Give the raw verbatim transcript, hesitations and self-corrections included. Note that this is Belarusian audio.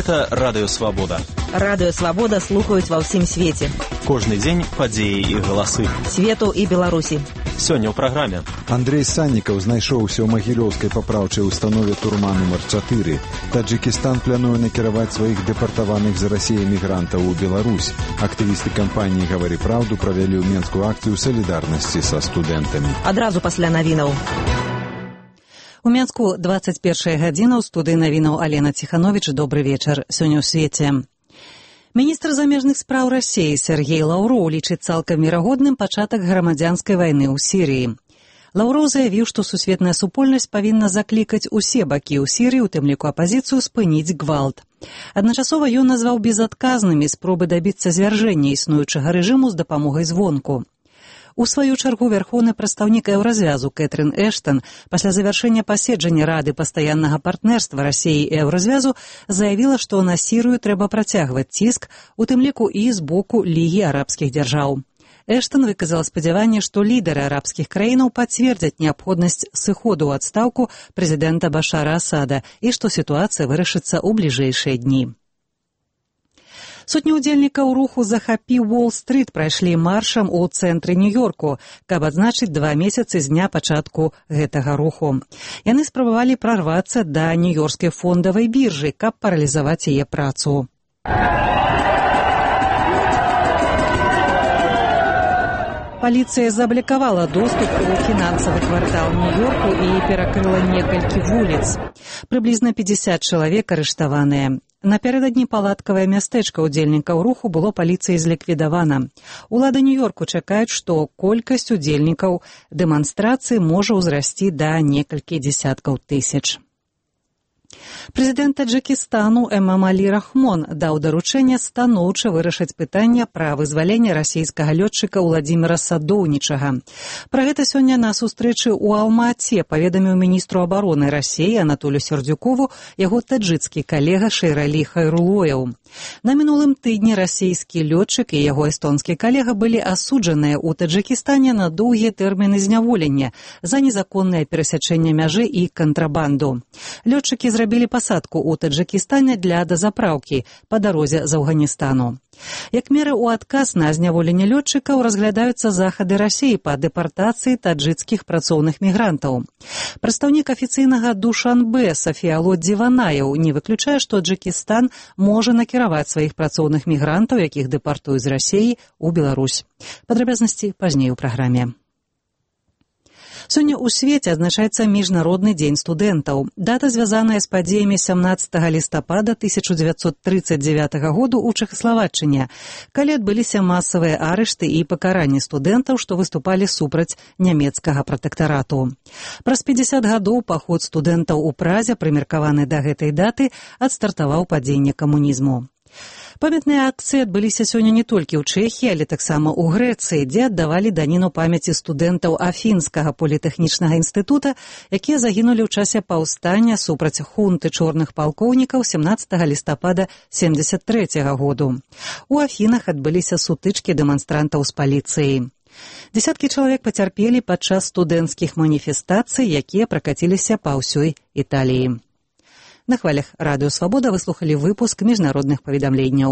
Гэта Радыё Свабода. Радыё Свабода слухаюць ва ўсім свеце. Кожны дзень падзеі і галасы. Свету і Беларусі. Сёння ў праграме. Андрей Саннікаў знайшоўся ў магілёўскай папраўчай установе турма нумар чатыры. Таджикістан плануе накіраваць сваіх дэпартаваных з Расіі мігрантаў у Беларусь. Актывісты кампаніі «Гавары праўду» правялі ў Менскую акцыю салідарнасці са студэнтамі. Адразу пасля навінаў. У Менску двадцать першая гадзіна, ў студыі навінаў Алена Ціхановіч. Добры вечар. Сёння ў свеце. Міністр замежных спраў Расіі Сергей Лаўроў лічыць цалкам верагодным пачатак грамадзянскай вайны ў Сірыі. Лаўроў заявіў, што сусветная супольнасць павінна заклікаць усе бакі ў Сірыі, у тым ліку апазіцыю, спыніць гвалт. Адначасова ён назваў безадказнымі спробы дабіцца звяржэння існуючага рэжыму з дапамогай звонку. У сваю чаргу вярхоўны прадстаўнік еўразвязу Кэтрын Эштан пасля завяршэння паседжання Рады пастаяннага партнерства Расіі і еўразвязу заявіла, што на Сірыю трэба працягваць ціск, у тым ліку і з боку Лігі арабскіх дзяржаў. Эштан выказала спадзяванне, што лідары арабскіх краінаў пацвердзяць неабходнасць сыходу ў адстаўку прэзідэнта Башара Асада і што сітуацыя вырашыцца ў бліжэйшыя дні. Сотні ўдзельнікаў руху «Захапі Уолл-стрыт» прайшлі маршам у цэнтры Нью-Йорку, каб адзначыць два месяцы з дня пачатку гэтага руху. Яны спрабавалі прарвацца да нью-йоркскай фондавай біржы, каб паралізаваць яе працу. Паліцыя заблакавала доступ у фінансавы квартал Нью-Йорку і перакрыла некалькі вуліц. Прыблізна пятьдесят чалавек арыштаваныя. Напярэдадні палаткавае мястэчка ўдзельнікаў руху было паліцыяй зліквідавана. Улады Нью-Йорку чакаюць, што колькасць удзельнікаў дэманстрацыі можа ўзрасці да некалькі дзесяткаў тысяч. Прэзідэнт Таджикістану Эмамалі Рахмон даў даручэнне станоўча вырашыць пытанне пра вызваленне расійскага лётчыка Уладзіміра Садоўнічага. Пра гэта сёння на сустрэчы ў Алма-Ате паведаміў міністру абароны Расіі Анатолію Сердюкову яго таджыцкі калега Шэйралі Хайрулоеў. На мінулым тыдні расійскі лётчык і яго эстонскі калега былі асуджаныя ў Таджикістане на доўгія тэрміны зняволення за незаконнае перасячэнне мяжы і кантрабанду. Лётчыкі зрабілі пасадку ў Таджикістане для дазапраўкі па дарозе з Афганістану. Як мера ў адказ на зняволенне лётчыкаў разглядаюцца захады Расіі па дэпартацыі таджыцкіх працоўных мігрантаў. Прадстаўнік афіцыйнага Душанбе Сафіяло Дзіванаеў не выключае, што Таджикістан можа накіраваць сваіх працоўных мігрантаў, якіх дэпартуюць з Расіі, у Беларусь. Падрабязнасці пазней у праграме. Сёння ў свеце адзначаецца Міжнародны дзень студэнтаў. Дата звязаная з падзеямі сямнаццатага лістапада тысяча дзевяцьсот трыццаць дзевятага году ў Чэхаславаччыне, калі адбыліся масавыя арышты і пакаранні студэнтаў, што выступалі супраць нямецкага пратэктарату. Праз пятьдесят гадоў паход студэнтаў у Празе, прымеркаваны да гэтай даты, адстартаваў падзенне камунізму. Памятныя акцыі адбыліся сёння не толькі ў Чэхіі, але таксама ў Грэцыі, дзе аддавалі даніну памяці студэнтаў Афінскага політэхнічнага інстытута, якія загінулі ў часе паўстання супраць хунты чорных палкоўнікаў сямнаццатага лістапада семдзесят трэцяга году. У Афінах адбыліся сутычкі дэманстрантаў з паліцыяй. Дзесяткі чалавек пацярпелі падчас студэнцкіх маніфестацый, якія пракаціліся па ўсёй Італіі. На хвалях Радыё Свабода вы слухалі выпуск міжнародных паведамленняў.